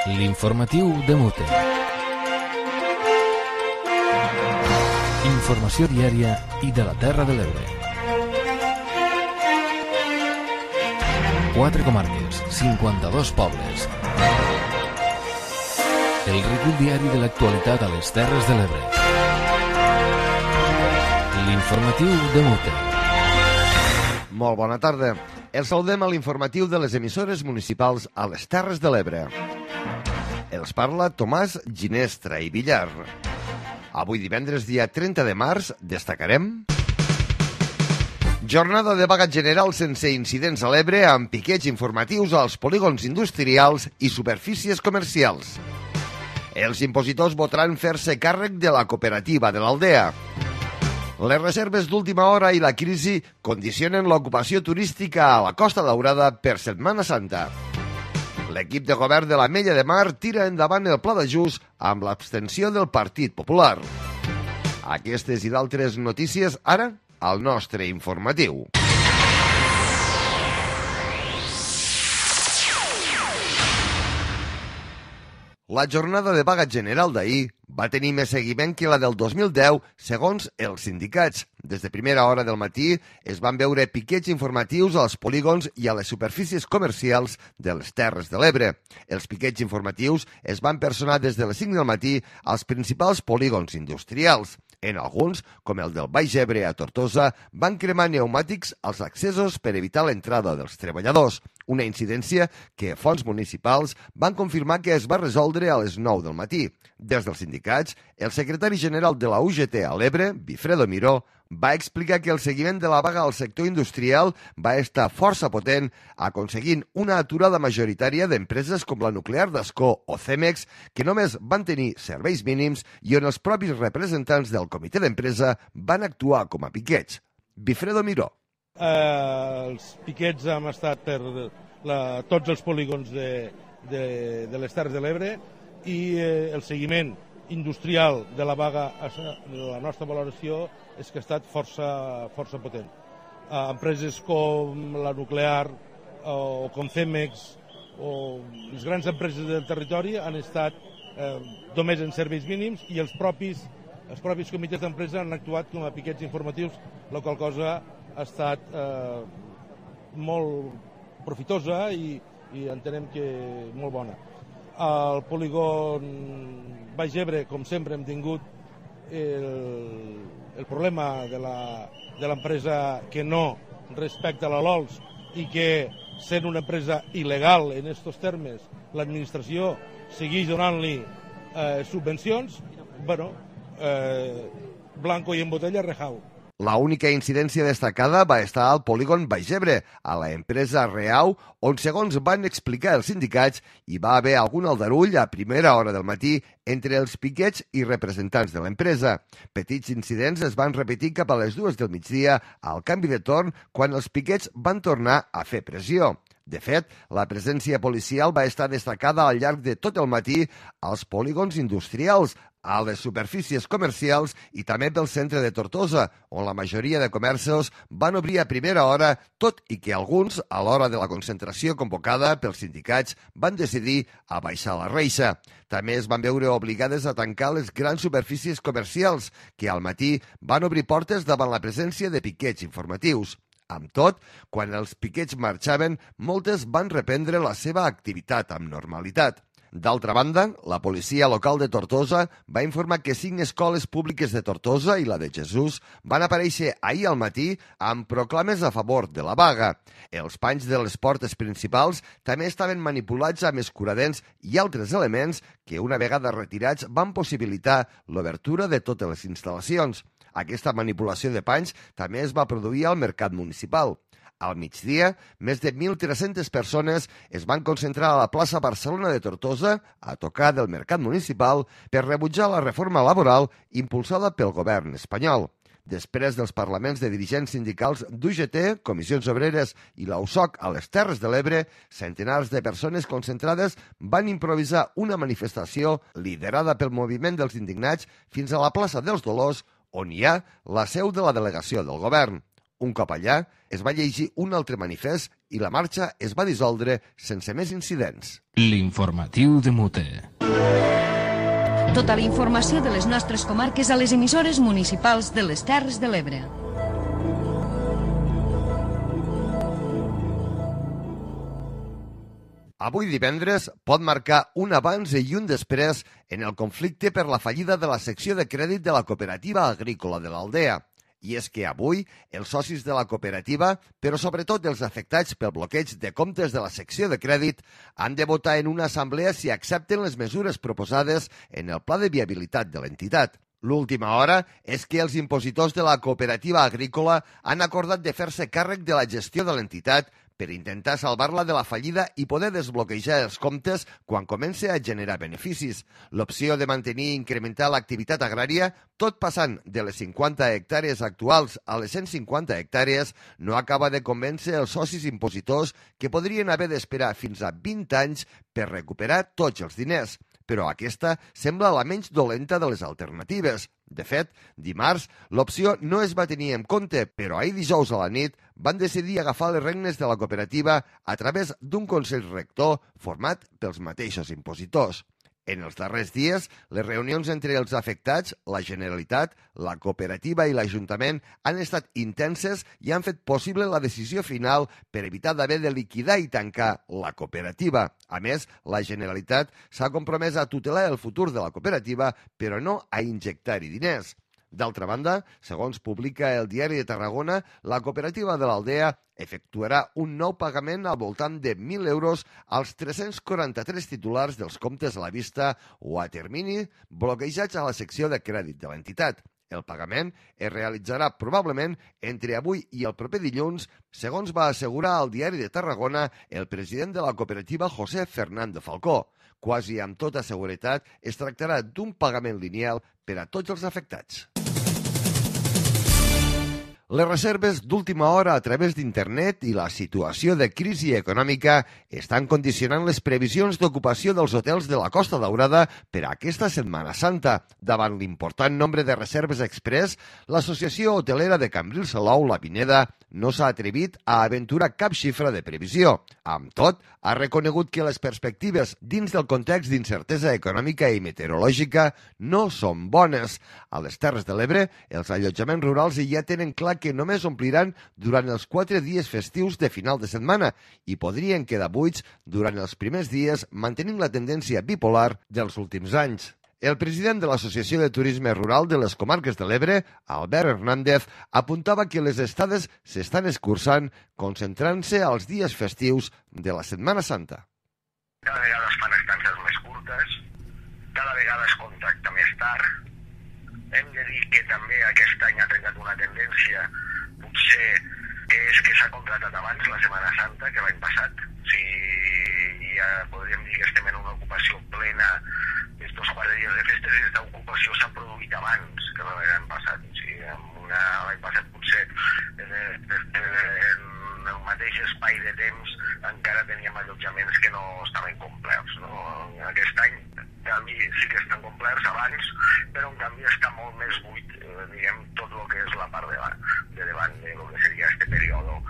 L'informatiu de Mute. Informació diària i de la Terra de l'Ebre. 4 comarques, 52 pobles. El recull diari de l'actualitat a les Terres de l'Ebre. L'informatiu de Mute. Molt bona tarda. Els saludem a l'informatiu de les emissores municipals a les Terres de l'Ebre. Els parla Tomàs Ginestra i Villar. Avui divendres, dia 30 de març, destacarem jornada de vaga general sense incidents a l'Ebre amb piquets informatius als polígons industrials i superfícies comercials. Els impositors votaran fer-se càrrec de la cooperativa de l'Aldea. Les reserves d'última hora i la crisi condicionen l'ocupació turística a la Costa Daurada per Setmana Santa. L'equip de govern de l'Ametlla de Mar tira endavant el pla d'ajust amb l'abstenció del Partit Popular. Aquestes i d'altres notícies ara al nostre informatiu. La jornada de vaga general d'ahir va tenir més seguiment que la del 2010, segons els sindicats. Des de primera hora del matí es van veure piquets informatius als polígons i a les superfícies comercials de les Terres de l'Ebre. Els piquets informatius es van personar des de les 5 del matí als principals polígons industrials. En alguns, com el del Baix Ebre a Tortosa, van cremar pneumàtics als accessos per evitar l'entrada dels treballadors. Una incidència que fonts municipals van confirmar que es va resoldre a les 9 del matí. Des dels sindicats, el secretari general de la UGT a l'Ebre, Bifredo Miró, va explicar que el seguiment de la vaga al sector industrial va estar força potent, aconseguint una aturada majoritària d'empreses com la nuclear d'Ascó o Cemex, que només van tenir serveis mínims i on els propis representants del comitè d'empresa van actuar com a piquets. Bifredo Miró. Els piquets han estat per tots els polígons de les Terres de l'Ebre i el seguiment industrial de la vaga, la nostra valoració és que ha estat força potent. Empreses com la nuclear o com Cemex o les grans empreses del territori han estat només en serveis mínims i els propis comitès d'empresa han actuat com a piquets informatius, la qual cosa ha estat molt profitosa i entenem que molt bona. Al polígon Baix Ebre, com sempre, hem tingut el problema de l'empresa que no respecta la LOLS i que, sent una empresa il·legal en aquests termes, l'administració segueix donant-li subvencions. Bueno, blanco i en botella rejau. La única incidència destacada va estar al polígon Baix Ebre, a la empresa Reau, on, segons van explicar els sindicats, hi va haver algun aldarull a primera hora del matí entre els piquets i representants de l'empresa. Petits incidents es van repetir cap a les 2 del migdia al canvi de torn quan els piquets van tornar a fer pressió. De fet, la presència policial va estar destacada al llarg de tot el matí als polígons industrials, a les superfícies comercials i també pel centre de Tortosa, on la majoria de comerços van obrir a primera hora, tot i que alguns, a l'hora de la concentració convocada pels sindicats, van decidir abaixar la reixa. També es van veure obligades a tancar les grans superfícies comercials, que al matí van obrir portes davant la presència de piquets informatius. Amb tot, quan els piquets marxaven, moltes van reprendre la seva activitat amb normalitat. D'altra banda, la policia local de Tortosa va informar que 5 escoles públiques de Tortosa i la de Jesús van aparèixer ahir al matí amb proclames a favor de la vaga. Els panys de les portes principals també estaven manipulats amb escuradents i altres elements que, una vegada retirats, van possibilitar l'obertura de totes les instal·lacions. Aquesta manipulació de panys també es va produir al mercat municipal. Al migdia, més de 1.300 persones es van concentrar a la plaça Barcelona de Tortosa a tocar del mercat municipal per rebutjar la reforma laboral impulsada pel govern espanyol. Després dels parlaments de dirigents sindicals d'UGT, Comissions Obreres i la USOC a les Terres de l'Ebre, centenars de persones concentrades van improvisar una manifestació liderada pel moviment dels indignats fins a la plaça dels Dolors, on hi ha la seu de la delegació del govern. Un cop allà, es va llegir un altre manifest i la marxa es va dissoldre sense més incidents. L'informatiu de Mute. Tota la informació de les nostres comarques a les emissores municipals de les Terres de l'Ebre. Avui divendres pot marcar un abans i un després en el conflicte per la fallida de la secció de crèdit de la cooperativa agrícola de l'Aldea. I és que avui els socis de la cooperativa, però sobretot els afectats pel bloqueig de comptes de la secció de crèdit, han de votar en una assemblea si accepten les mesures proposades en el pla de viabilitat de l'entitat. L'última hora és que els impositors de la cooperativa agrícola han acordat de fer-se càrrec de la gestió de l'entitat per intentar salvar-la de la fallida i poder desbloquejar els comptes quan comenci a generar beneficis. L'opció de mantenir i incrementar l'activitat agrària, tot passant de les 50 hectàrees actuals a les 150 hectàrees, no acaba de convèncer els socis impositors que podrien haver d'esperar fins a 20 anys per recuperar tots els diners. Però aquesta sembla la menys dolenta de les alternatives. De fet, dimarts, l'opció no es va tenir en compte, però ahir dijous a la nit van decidir agafar les regnes de la cooperativa a través d'un consell rector format pels mateixos impositors. En els darrers dies, les reunions entre els afectats, la Generalitat, la cooperativa i l'Ajuntament han estat intenses i han fet possible la decisió final per evitar d'haver de liquidar i tancar la cooperativa. A més, la Generalitat s'ha compromès a tutelar el futur de la cooperativa, però no a injectar-hi diners. D'altra banda, segons publica el Diari de Tarragona, la cooperativa de l'Aldea efectuarà un nou pagament al voltant de 1.000 euros als 343 titulars dels comptes a la vista o a termini bloquejats a la secció de crèdit de l'entitat. El pagament es realitzarà probablement entre avui i el proper dilluns, segons va assegurar al Diari de Tarragona el president de la cooperativa José Fernando Falcó. Quasi amb tota seguretat es tractarà d'un pagament lineal per a tots els afectats. Les reserves d'última hora a través d'internet i la situació de crisi econòmica estan condicionant les previsions d'ocupació dels hotels de la Costa Daurada per a aquesta Setmana Santa. Davant l'important nombre de reserves express, l'Associació Hotelera de Cambrils Salou, la Pineda, no s'ha atrevit a aventurar cap xifra de previsió. Amb tot, ha reconegut que les perspectives dins del context d'incertesa econòmica i meteorològica no són bones. A les Terres de l'Ebre, els allotjaments rurals ja tenen clar que només ompliran durant els 4 dies festius de final de setmana i podrien quedar buits durant els primers dies mantenint la tendència bipolar dels últims anys. El president de l'Associació de Turisme Rural de les Comarques de l'Ebre, Albert Hernández, apuntava que les estades s'estan escurçant concentrant-se als dies festius de la Setmana Santa. Cada vegada es fan estances més curtes, cada vegada es contracta més tard. Hem de dir que també aquest any ha trencat una tendència, potser és que s'ha contractat abans la Setmana Santa que l'any passat. Si ja podríem dir que estem en una ocupació plena estos 4 dies de festes, aquesta ocupació s'ha produït abans que l'any passat. O sigui, l'any passat potser en el mateix espai de temps encara teníem allotjaments que no estaven complerts. No? Aquest any, en canvi, sí que estan complerts abans, però en canvi està molt més buit, diguem, tot el que és la part de davant de lo que seria este període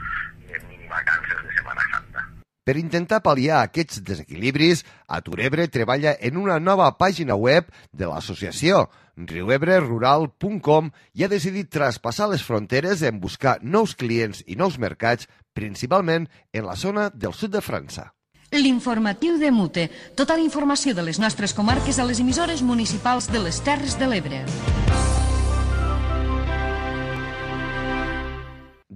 de minivacances de Setmana Santa. Per intentar pal·liar aquests desequilibris, Aturebre treballa en una nova pàgina web de l'associació, riuebrerural.com, i ha decidit traspassar les fronteres en buscar nous clients i nous mercats, principalment en la zona del sud de França. L'informatiu de Mute. Tota la informació de les nostres comarques a les emissores municipals de les Terres de l'Ebre.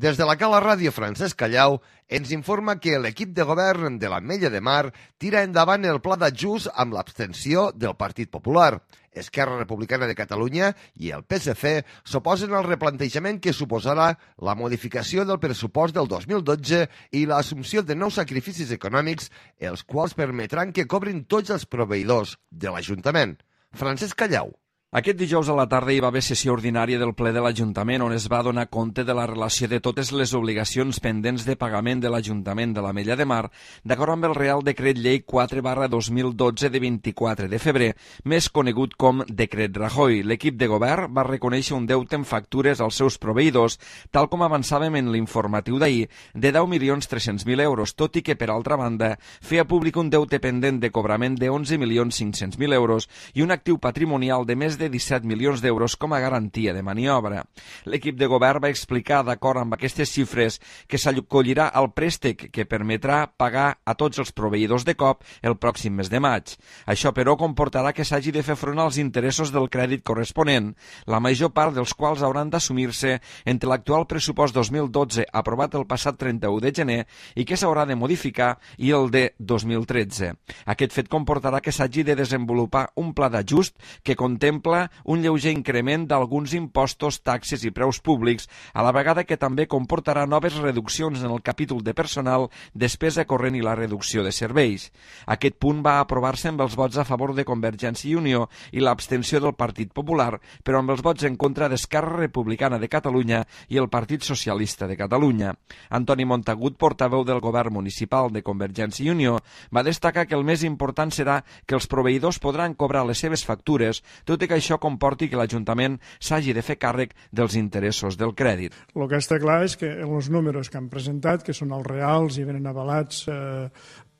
Des de la Cala Ràdio Francesc Callau ens informa que l'equip de govern de l'Ametlla de Mar tira endavant el pla d'ajust amb l'abstenció del Partit Popular. Esquerra Republicana de Catalunya i el PSC s'oposen al replantejament que suposarà la modificació del pressupost del 2012 i l'assumpció de nous sacrificis econòmics, els quals permetran que cobrin tots els proveïdors de l'Ajuntament. Francesc Callau. Aquest dijous a la tarda hi va haver sessió ordinària del ple de l'Ajuntament on es va donar compte de la relació de totes les obligacions pendents de pagament de l'Ajuntament de l'Ametlla de Mar d'acord amb el Real Decret Llei 4/2012 de 24 de febrer, més conegut com Decret Rajoy. L'equip de govern va reconèixer un deute en factures als seus proveïdors, tal com avançàvem en l'informatiu d'ahir, de 10.300.000 euros, tot i que, per altra banda, feia públic un deute pendent de cobrament de 11.500.000 euros i un actiu patrimonial de més de 17 milions d'euros com a garantia de maniobra. L'equip de govern va explicar, d'acord amb aquestes xifres, que s'acollirà al préstec que permetrà pagar a tots els proveïdors de cop el pròxim mes de maig. Això, però, comportarà que s'hagi de fer front als interessos del crèdit corresponent, la major part dels quals hauran d'assumir-se entre l'actual pressupost 2012 aprovat el passat 31 de gener i que s'haurà de modificar i el de 2013. Aquest fet comportarà que s'hagi de desenvolupar un pla d'ajust que contempla un lleuger increment d'alguns impostos, taxes i preus públics, a la vegada que també comportarà noves reduccions en el capítol de personal, despesa corrent i la reducció de serveis. Aquest punt va aprovar-se amb els vots a favor de Convergència i Unió i l'abstenció del Partit Popular, però amb els vots en contra d'Esquerra Republicana de Catalunya i el Partit Socialista de Catalunya. Antoni Montagut, portaveu del govern municipal de Convergència i Unió, va destacar que el més important serà que els proveïdors podran cobrar les seves factures, tot i que això comporti que l'Ajuntament s'hagi de fer càrrec dels interessos del crèdit. El que està clar és que els números que han presentat, que són els reals i venen avalats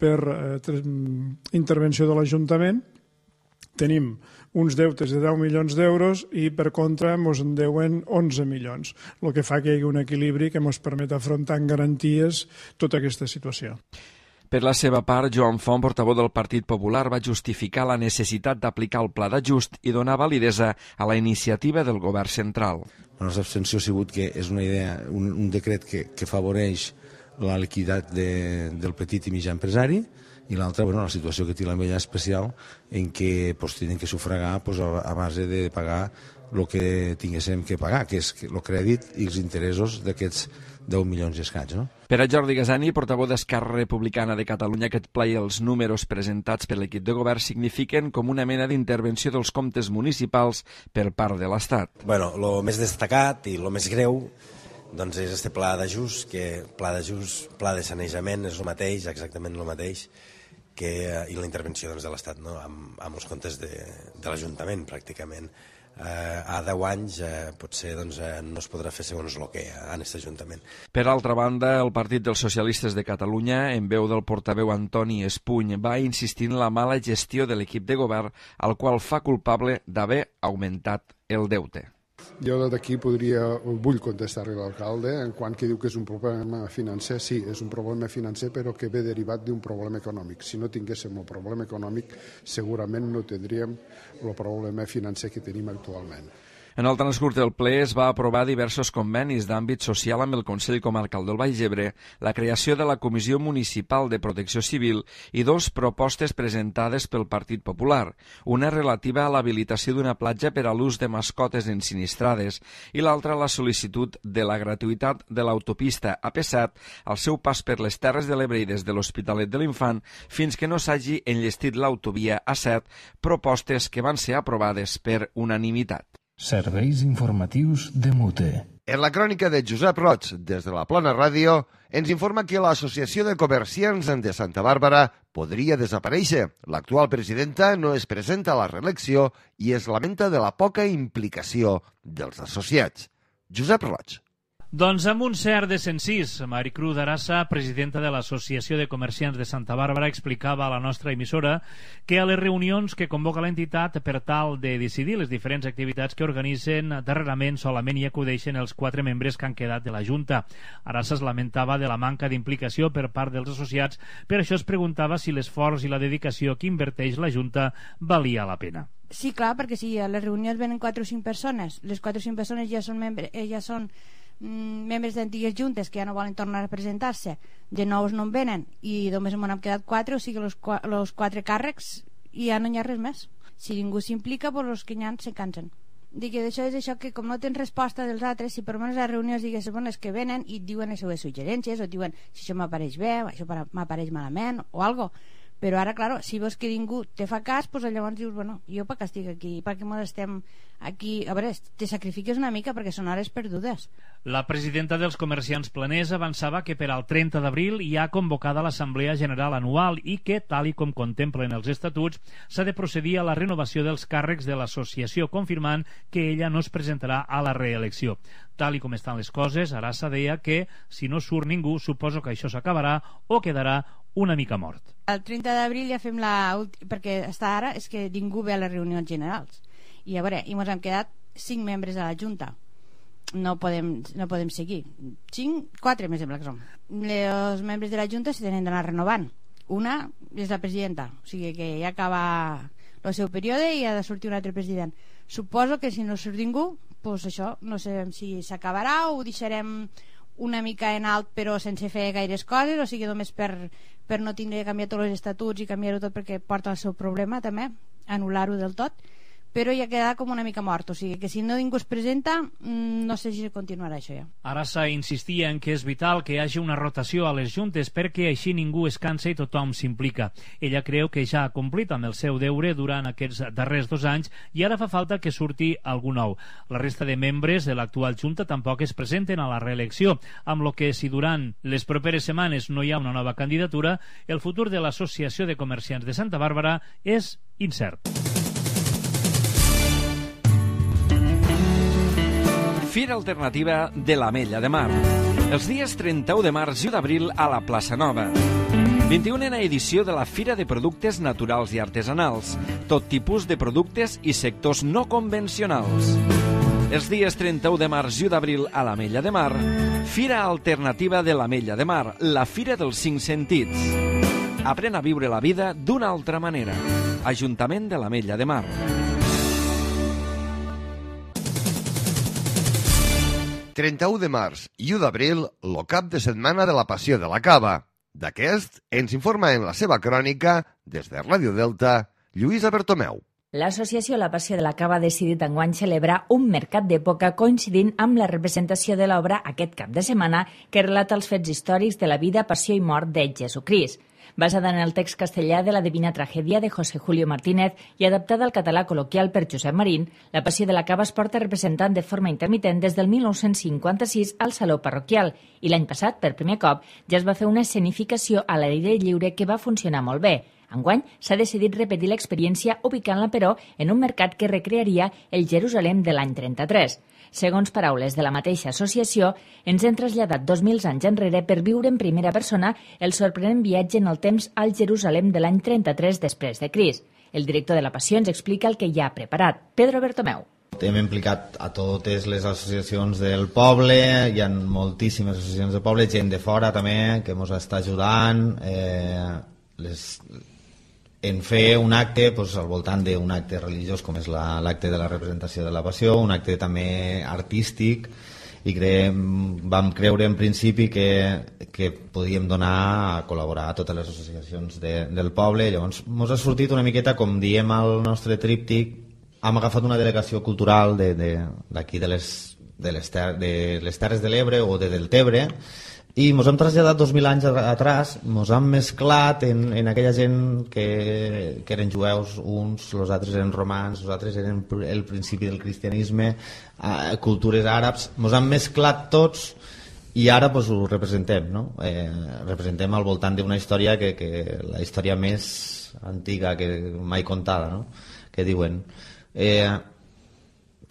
per intervenció de l'Ajuntament, tenim uns deutes de 10 milions d'euros i per contra ens en deuen 11 milions, el que fa que hi hagi un equilibri que ens permet afrontar amb garanties tota aquesta situació. Per la seva part, Joan Font, portaveu del Partit Popular, va justificar la necessitat d'aplicar el pla d'ajust i donar validesa a la iniciativa del govern central. La nostra abstenció ha sigut que és una idea, un decret que afavoreix la liquiditat del petit i mitjà empresari i l'altra, la situació que té l'Ametlla especial en què tenen que sufragar a base de pagar el que tinguéssim que pagar, que és el crèdit i els interessos d'aquests 10 milions i escaig, no? Per a Jordi Gasani, portaveu d'Esquerra Republicana de Catalunya, aquest pla i els números presentats per l'equip de govern signifiquen com una mena d'intervenció dels comptes municipals per part de l'Estat. Bueno, el més destacat i el més greu doncs és este pla d'ajust, que pla de sanejament és el mateix, exactament el mateix, i la intervenció de l'Estat, no? amb els comptes de l'Ajuntament, pràcticament. A 10 anys potser no es podrà fer segons el que en aquest Ajuntament. Per altra banda, el Partit dels Socialistes de Catalunya, en veu del portaveu Antoni Espuny, va insistir en la mala gestió de l'equip de govern, al qual fa culpable d'haver augmentat el deute. Jo d'aquí vull contestar-li a l'alcalde en quant que diu que és un problema financer. Sí, és un problema financer, però que ve derivat d'un problema econòmic. Si no tinguéssim el problema econòmic, segurament no tindríem el problema financer que tenim actualment. En el transcurs del ple es va aprovar diversos convenis d'àmbit social amb el Consell Comarcal del Baix Ebre, la creació de la Comissió Municipal de Protecció Civil i 2 propostes presentades pel Partit Popular, una relativa a l'habilitació d'una platja per a l'ús de mascotes ensinistrades i l'altra la sol·licitud de la gratuïtat de l'autopista AP7 al seu pas per les Terres de l'Ebre i des de l'Hospitalet de l'Infant fins que no s'hagi enllestit l'autovia A7, propostes que van ser aprovades per unanimitat. Serveis informatius de Mute. En la crònica de Josep Roig, des de la Plana Ràdio, ens informa que l'Associació de Comerciants de Santa Bàrbara podria desaparèixer. L'actual presidenta no es presenta a la reelecció i es lamenta de la poca implicació dels associats. Josep Roig. Doncs amb un cert desencís, Maricruz Arassa, presidenta de l'Associació de Comerciants de Santa Bàrbara, explicava a la nostra emissora que a les reunions que convoca l'entitat per tal de decidir les diferents activitats que organitzen, darrerament solament hi acudeixen els 4 membres que han quedat de la Junta. Arassa es lamentava de la manca d'implicació per part dels associats, per això es preguntava si l'esforç i la dedicació que inverteix la Junta valia la pena. Sí, clar, perquè si a les reunions venen 4 o 5 persones, les 4 o 5 persones ja són membres d'antigues juntes que ja no volen tornar a presentar-se, de nous no en venen i només m'han quedat 4, o sigui els 4 càrrecs i ja no hi ha res més. Si ningú s'implica, doncs els que hi ha se cansen. Dic que això és això que com no tens resposta dels altres, si per almenys a les reunions digues bones que venen i et diuen les seves suggerències o et diuen si això m'apareix bé, això m'apareix malament o algo, Però ara, clar, si veus que ningú te fa cas, doncs llavors dius, bueno, jo per què estic aquí? Per què estem aquí? A veure, te sacrifiques una mica perquè són hores perdudes. La presidenta dels comerciants planers avançava que per al 30 d'abril hi ha convocada l'Assemblea General Anual i que, tal i com contemplen els estatuts, s'ha de procedir a la renovació dels càrrecs de l'associació, confirmant que ella no es presentarà a la reelecció. Tal i com estan les coses, Arassa deia que si no surt ningú, suposo que això s'acabarà o quedarà una mica mort. El 30 d'abril ja fem perquè està ara és que ningú ve a les reunions generals. I a veure, ens hem quedat 5 membres de la Junta. No podem seguir. 4 me sembla que som. Els membres de la Junta se tenen d'anar renovant. Una és la presidenta, o sigui que ja acaba el seu període i ha de sortir un altre president. Suposo que si no surt ningú, doncs això, no sabem si s'acabarà o ho deixarem una mica en alt però sense fer gaires coses, o sigui només per no tindre que canviar tots els estatuts i canviar-ho tot perquè porta el seu problema també, anul·lar-ho del tot, però ja queda com una mica mort, o sigui que si no ningú es presenta no sé si continuarà això ja. Arassa insistia en que és vital que hi hagi una rotació a les juntes perquè així ningú es cansa i tothom s'implica. Ella creu que ja ha complit amb el seu deure durant aquests darrers 2 anys i ara fa falta que surti algú nou. La resta de membres de l'actual junta tampoc es presenten a la reelecció, amb lo que si durant les properes setmanes no hi ha una nova candidatura, el futur de l'Associació de Comerciants de Santa Bàrbara és incert. Fira Alternativa de l'Ametlla de Mar. Els dies 31 de març i 1 d'abril a la Plaça Nova. 21a edició de la Fira de Productes Naturals i Artesanals. Tot tipus de productes i sectors no convencionals. Els dies 31 de març i 1 d'abril a l'Ametlla de Mar. Fira Alternativa de l'Ametlla de Mar. La Fira dels 5 sentits. Aprèn a viure la vida d'una altra manera. Ajuntament de l'Ametlla de Mar. 31 de març i 1 d'abril, lo cap de setmana de la Passió de la Cava. D'aquest ens informa en la seva crònica, des de Ràdio Delta, Lluïsa Bertomeu. L'associació La Passió de la Cava ha decidit enguany celebrar un mercat d'època coincidint amb la representació de l'obra aquest cap de setmana que relata els fets històrics de la vida, passió i mort de Jesucrist. Basada en el text castellà de la Divina Tragèdia de José Julio Martínez i adaptada al català col·loquial per Josep Marín, la Passió de la Cava es porta representant de forma intermitent des del 1956 al Saló Parroquial i l'any passat, per primer cop, ja es va fer una escenificació a l'aire lliure que va funcionar molt bé. Enguany s'ha decidit repetir l'experiència ubicant-la, però, en un mercat que recrearia el Jerusalem de l'any 33. Segons paraules de la mateixa associació, ens hem traslladat 2000 anys enrere per viure en primera persona el sorprenent viatge en el temps al Jerusalem de l'any 33 després de Crist. El director de la Passió ens explica el que ja ha preparat. Pedro Bertomeu. Hem implicat a totes les associacions del poble, hi ha moltíssimes associacions del poble, gent de fora també que ens està ajudant, en fer un acte al voltant d'un acte religiós com és l'acte de la representació de la Passió, un acte també artístic, i vam creure en principi que podíem donar a col·laborar a totes les associacions del poble. Llavors ens ha sortit una miqueta, com diem al nostre tríptic, hem agafat una delegació cultural d'aquí de les Terres de l'Ebre o de Deltebre, i ens hem traslladat 2000 anys atrás, ens hem mesclat en aquella gent que eren jueus, uns, els altres eren romans, els altres eren el principi del cristianisme, cultures àrabs, ens hem mesclat tots i ara ho representem, no? Representem al voltant d'una història que la història més antiga que mai contada, no? Que diuen.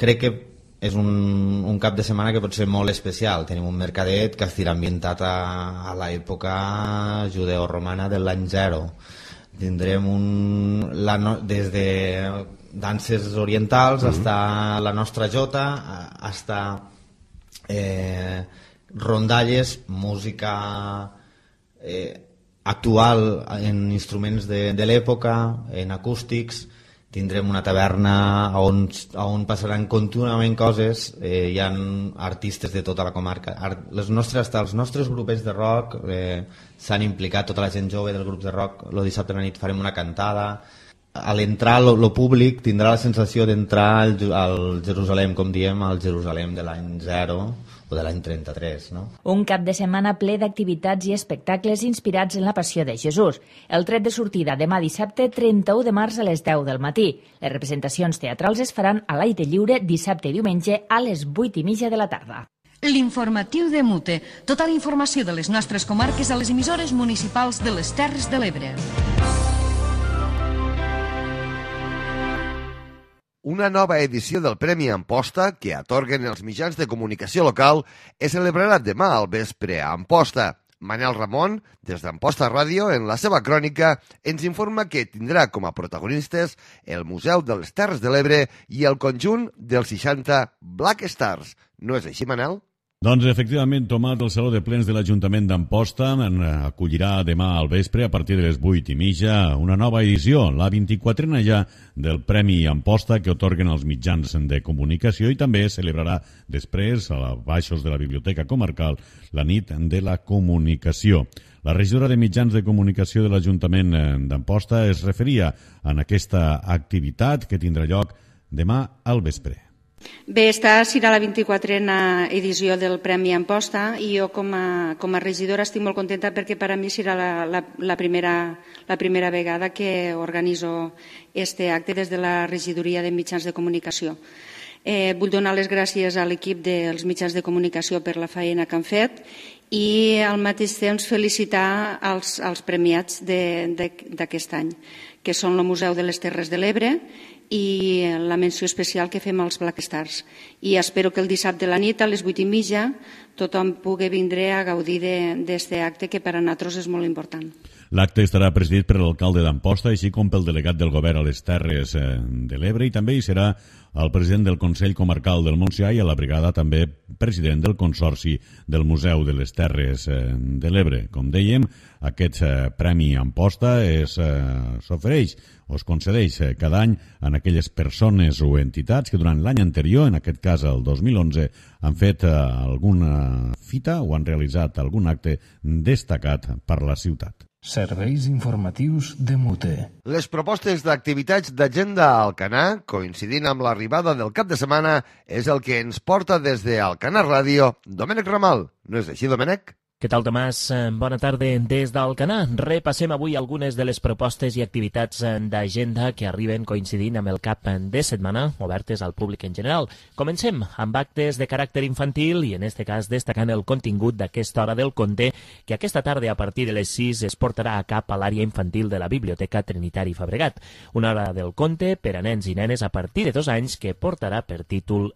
Crec que és un cap de setmana que pot ser molt especial. Tenim un mercadet que estirà ambientat a l'època judeoromana de l'any 0. Tindrem des de danses orientals fins la nostra jota, fins rondalles, música actual en instruments de l'època, en acústics. Tindrem una taverna on passaran contínuament coses, hi ha artistes de tota la comarca. Els nostres grupets de rock s'han implicat, tota la gent jove del grup de rock. El dissabte a la nit farem una cantada. A l'entrar, el públic tindrà la sensació d'entrar al Jerusalem, com diem, al Jerusalem de l'any 0, o de l'any 33, no? Un cap de setmana ple d'activitats i espectacles inspirats en la Passió de Jesús. El tret de sortida demà dissabte 31 de març a les 10 del matí. Les representacions teatrals es faran a l'aire lliure dissabte i diumenge a les 8:30 de la tarda. L'informatiu de Mute. Tota la informació de les nostres comarques a les emissores municipals de les Terres de l'Ebre. Una nova edició del Premi Amposta, que atorguen els mitjans de comunicació local, es celebrarà demà al vespre a Amposta. Manel Ramon, des d'Amposta Ràdio, en la seva crònica, ens informa que tindrà com a protagonistes el Museu de les Terres de l'Ebre i el conjunt dels 60 Black Stars. No és així, Manel? Doncs, efectivament, Tomat, el Saló de Plens de l'Ajuntament d'Amposta acollirà demà al vespre, a partir de les 8:30, una nova edició, la 24a ja del Premi Amposta, que atorguen els mitjans de comunicació, i també celebrarà després, a baixos de la Biblioteca Comarcal, la nit de la comunicació. La regidora de mitjans de comunicació de l'Ajuntament d'Amposta es referia a aquesta activitat que tindrà lloc demà al vespre. Bé, esta serà la 24a edició del Premi Amposta i jo com a regidora estic molt contenta perquè per a mi serà la primera vegada que organitzo este acte des de la regidoria de mitjans de comunicació. Vull donar les gràcies a l'equip dels mitjans de comunicació per la feina que han fet i al mateix temps felicitar els premiats d'aquest any, que són el Museu de les Terres de l'Ebre i la menció especial que fem als Black Stars. I espero que el dissabte a la nit, a les 8:30, tothom pugui vindre a gaudir d'aquest acte que per a nosaltres és molt important. L'acte estarà presidit per l'alcalde d'Amposta, així com pel delegat del govern a les Terres de l'Ebre, i també hi serà el president del Consell Comarcal del Montsià i a la brigada també president del Consorci del Museu de les Terres de l'Ebre. Com dèiem, aquest Premi Amposta s'ofereix o es concedeix cada any a aquelles persones o entitats que durant l'any anterior, en aquest cas el 2011, han fet alguna fita o han realitzat algun acte destacat per la ciutat. Serveis informatius de Mute. Les propostes d'activitats d'agenda a Alcanar, coincidint amb l'arribada del cap de setmana, és el que ens porta des d'Alcanar Ràdio Domènec Ramal. No és així, Domènec? Què tal, Tomàs? Bona tarda des d'Alcanar. Repassem avui algunes de les propostes i activitats d'agenda que arriben coincidint amb el cap de setmana, obertes al públic en general. Comencem amb actes de caràcter infantil i, en este cas, destacant el contingut d'aquesta hora del conte, que aquesta tarda, a partir de les 6, es portarà a cap a l'àrea infantil de la Biblioteca Trinitari Fabregat. Una hora del conte per a nens i nenes a partir de 2 anys que portarà per títol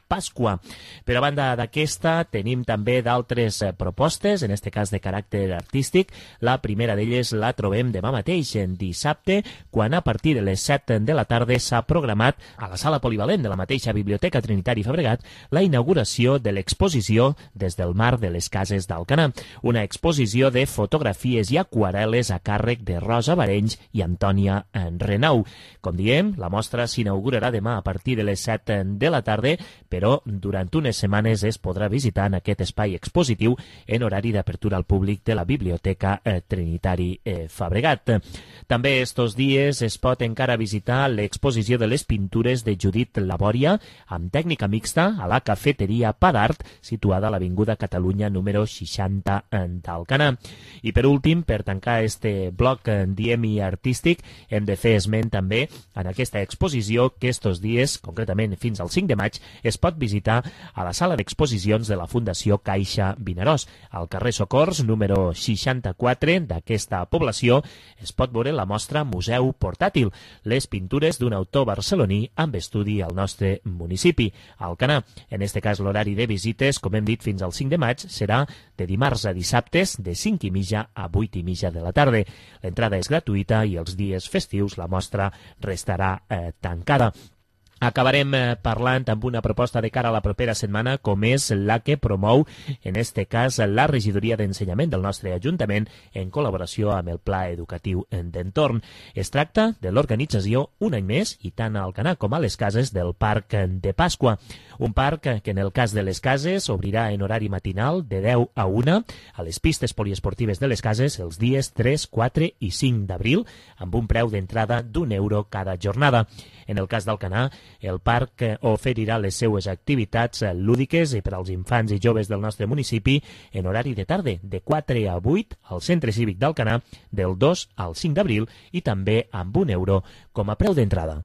Pasqua. Per a banda d'aquesta, tenim també d'altres propostes, en este cas de caràcter artístic. La primera d'elles la trobem demà mateix, en dissabte, quan a partir de les 7 de la tarda s'ha programat a la sala polivalent de la mateixa Biblioteca Trinitari Fabregat la inauguració de l'exposició Des del mar de les cases d'Alcanar, una exposició de fotografies i aquarel·les a càrrec de Rosa Barenys i Antònia Renau. Com diem, la mostra s'inaugurarà demà a partir de les 7 de la tarda, però durant unes setmanes es podrà visitar en aquest espai expositiu en horari d'apertura al públic de la Biblioteca Trinitari Fabregat. També estos dies es pot encara visitar l'exposició de les pintures de Judit Labòria amb tècnica mixta a la cafeteria Padart, situada a l'Avinguda Catalunya número 60 d'Alcanar. I per últim, per tancar este bloc diem i artístic, hem de fer esment també en aquesta exposició que estos dies, concretament fins al 5 de maig, es pot visitar a la sala d'exposicions de la Fundació Caixa Vinaròs. Al carrer Socors, número 64 d'aquesta població, es pot veure la mostra Museu Portàtil, les pintures d'un autor barceloní amb estudi al nostre municipi, Alcanar. En este cas, l'horari de visites, com hem dit, fins al 5 de maig, serà de dimarts a dissabtes, de 5:30 a 8:30 de la tarda. L'entrada és gratuïta i els dies festius la mostra restarà tancada. Acabarem parlant amb una proposta de cara a la propera setmana, com és la que promou, en este cas, la regidoria d'ensenyament del nostre Ajuntament en col·laboració amb el Pla Educatiu d'Entorn. Es tracta de l'organització, un any més, i tant a Alcanar com a les cases, del Parc de Pasqua. Un parc que, en el cas de les cases, obrirà en horari matinal de 10 a 1 a les pistes poliesportives de les cases els dies 3, 4 i 5 d'abril, amb un preu d'entrada d'1 euro cada jornada. En el cas d'Alcanar, El parc oferirà les seues activitats lúdiques i per als infants i joves del nostre municipi en horari de tarda, de 4 a 8 al Centre Cívic d'Alcanar, del 2 al 5 d'abril i també amb €1 com a preu d'entrada.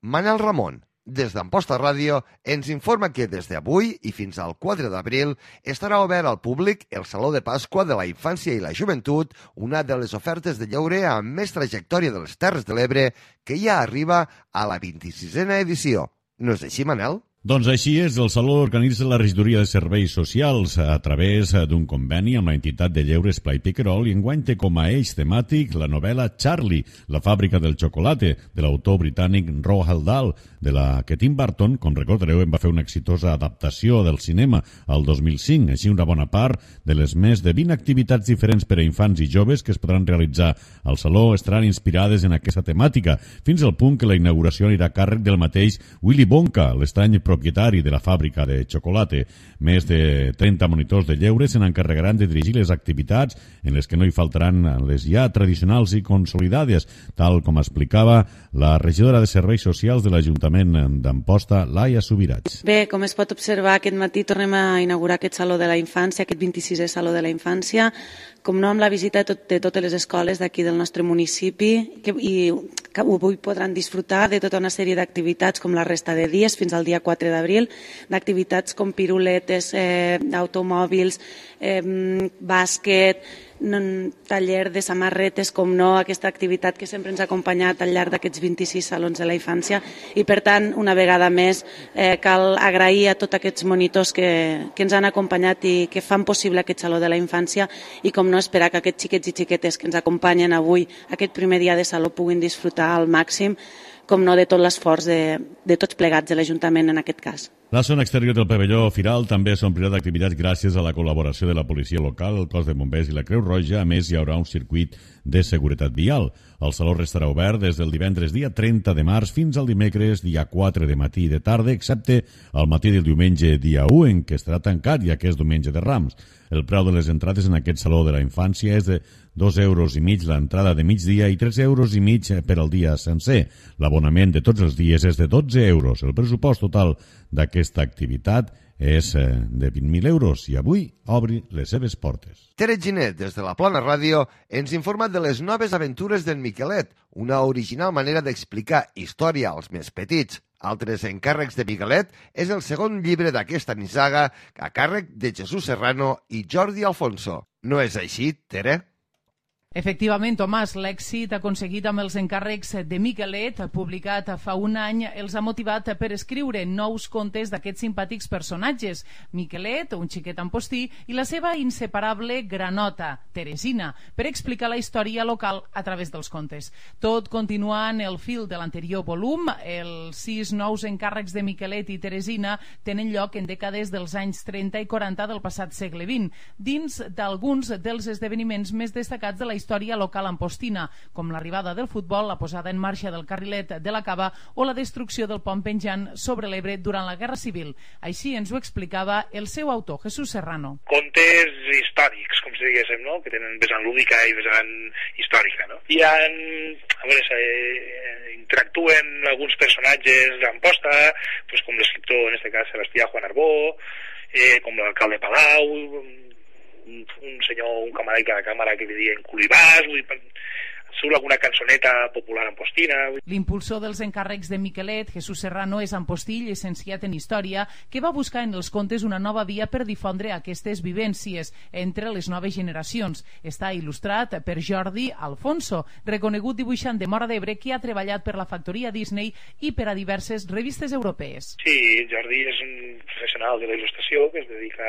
Manel Ramon, des d'Amposta Ràdio, ens informa que des d'avui i fins al 4 d'abril estarà obert al públic el Saló de Pasqua de la Infància i la Joventut, una de les ofertes de lleure amb més trajectòria de les Terres de l'Ebre, que ja arriba a la 26a edició. No és així, Manel? Doncs així és, el Saló organitza la Regidoria de Serveis Socials a través d'un conveni amb la entitat de lleure Esplai Piquerol i enguany té com a eix temàtic la novel·la Charlie, la fàbrica del xocolate, de l'autor britànic Roald Dahl, de la que Tim Burton, com recordareu, en va fer una exitosa adaptació del cinema al 2005. Així, una bona part de les més de 20 activitats diferents per a infants i joves que es podran realitzar al Saló estaran inspirades en aquesta temàtica, fins al punt que la inauguració anirà a càrrec del mateix Willy Wonka, l'estrany propietari de la fàbrica de xocolate. Més de 30 monitors de lleure se n'encarregaran de dirigir les activitats en les que no hi faltaran les ja tradicionals i consolidades, tal com explicava la regidora de Serveis Socials de l'Ajuntament d'Amposta, Laia Subirats. Bé, com es pot observar, aquest matí tornem a inaugurar aquest Saló de la Infància, aquest 26è Saló de la Infància, com no amb la visita de totes les escoles d'aquí del nostre municipi, i que avui podran disfrutar de tota una sèrie d'activitats com la resta de dies fins al dia 4 d'abril, d'activitats com piruletes, automòbils, bàsquet, taller de samarretes, com no, aquesta activitat que sempre ens ha acompanyat al llarg d'aquests 26 salons de la infància, i per tant, una vegada més, cal agrair a tots aquests monitors que ens han acompanyat i que fan possible aquest Saló de la Infància, i com no, esperar que aquests xiquets i xiquetes que ens acompanyen avui, aquest primer dia de Saló, puguin disfrutar al màxim, com no, de tot l'esforç de tots plegats de l'Ajuntament en aquest cas. La zona exterior del pavelló Firal també s'omplirà d'activitats gràcies a la col·laboració de la policia local, el cos de bombers i la Creu Roja. A més, hi haurà un circuit de seguretat vial. El saló restarà obert des del divendres dia 30 de març fins al dimecres dia 4 de matí i de tarda, excepte el matí del diumenge dia 1, en què estarà tancat, ja que és diumenge de Rams. El preu de les entrades en aquest Saló de la Infància és de €2,50 l'entrada de migdia i €3,50 per al dia sencer. L'abonament de tots els dies és de €12. El pressupost total d'aquesta activitat és de €20.000 i avui obri les seves portes. Tere Ginet, des de la Plana Ràdio, ens informa de les noves aventures d'en Miquelet, una original manera d'explicar història als més petits. Altres encàrrecs de Miquelet és el segon llibre d'aquesta nissaga a càrrec de Jesús Serrano i Jordi Alfonso. No és així, Tere? Efectivament, Tomàs, l'èxit aconseguit amb els encàrrecs de Miquelet, publicat fa un any, els ha motivat per escriure nous contes d'aquests simpàtics personatges. Miquelet, un xiquet ampostí, i la seva inseparable granota, Teresina, per explicar la història local a través dels contes. Tot continuant el fil de l'anterior volum, els 6 nous encàrrecs de Miquelet i Teresina tenen lloc en dècades dels anys 30 i 40 del passat segle XX, dins d'alguns dels esdeveniments més destacats de la història local ampostina, com l'arribada del futbol, la posada en marxa del carrilet de la Cava o la destrucció del pont penjant sobre l'Ebre durant la Guerra Civil. Així ens ho explicava el seu autor, Jesús Serrano. Contes històrics, com si diguéssim, no? Que tenen vessant lúdica i vessant històrica, no? I interactuen alguns personatges d'Amposta, pues, com l'escriptor, en este cas, Sebastià Juan Arbó, com l'alcalde Palau, un senyor, un camarada de la càmera que li diuen Culibàs, surt alguna cançoneta popular ampostina. L'impulsor dels encàrrecs de Miquelet, Jesús Serrano, és ampostí, llicenciat en Història, que va buscar en els contes una nova via per difondre aquestes vivències entre les noves generacions. Està il·lustrat per Jordi Alfonso, reconegut dibuixant de Móra d'Ebre que ha treballat per la factoria Disney i per a diverses revistes europees. Sí, Jordi és un professional de la il·lustració que es dedica,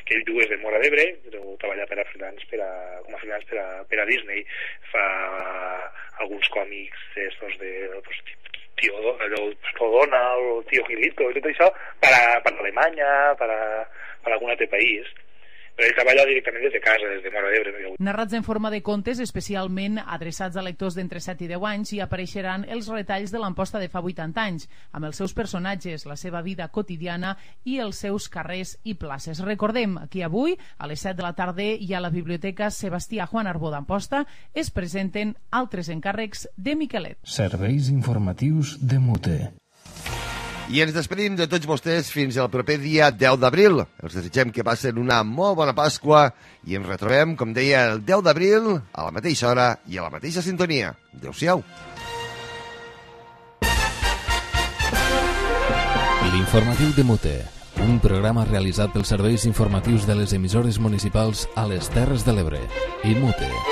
que ell és de Móra d'Ebre, però treballa com a freelance per a Disney. Fa alguns còmics estos de Tío Donald o Tío Gilito i tot això per a Alemanya, per a algun altre país. però ell treballa directament des de casa, des de Móra d'Ebre. Narrats en forma de contes especialment adreçats a lectors d'entre 7 i 10 anys, hi apareixeran els retalls de l'Amposta de fa 80 anys, amb els seus personatges, la seva vida quotidiana i els seus carrers i places. Recordem que avui, a les 7 de la tarda, i a la Biblioteca Sebastià Juan Arbó d'Amposta es presenten altres encàrrecs de Miquelet. Serveis informatius de Mute. I ens despedim de tots vostès fins al proper dia 10 d'abril. Els desitgem que passen una molt bona Pasqua i ens retrobem, com deia, el 10 d'abril a la mateixa hora i a la mateixa sintonia. Adéu-siau. L'informatiu de Mute, un programa realitzat pels serveis informatius de les emissores municipals a les Terres de l'Ebre i Mute.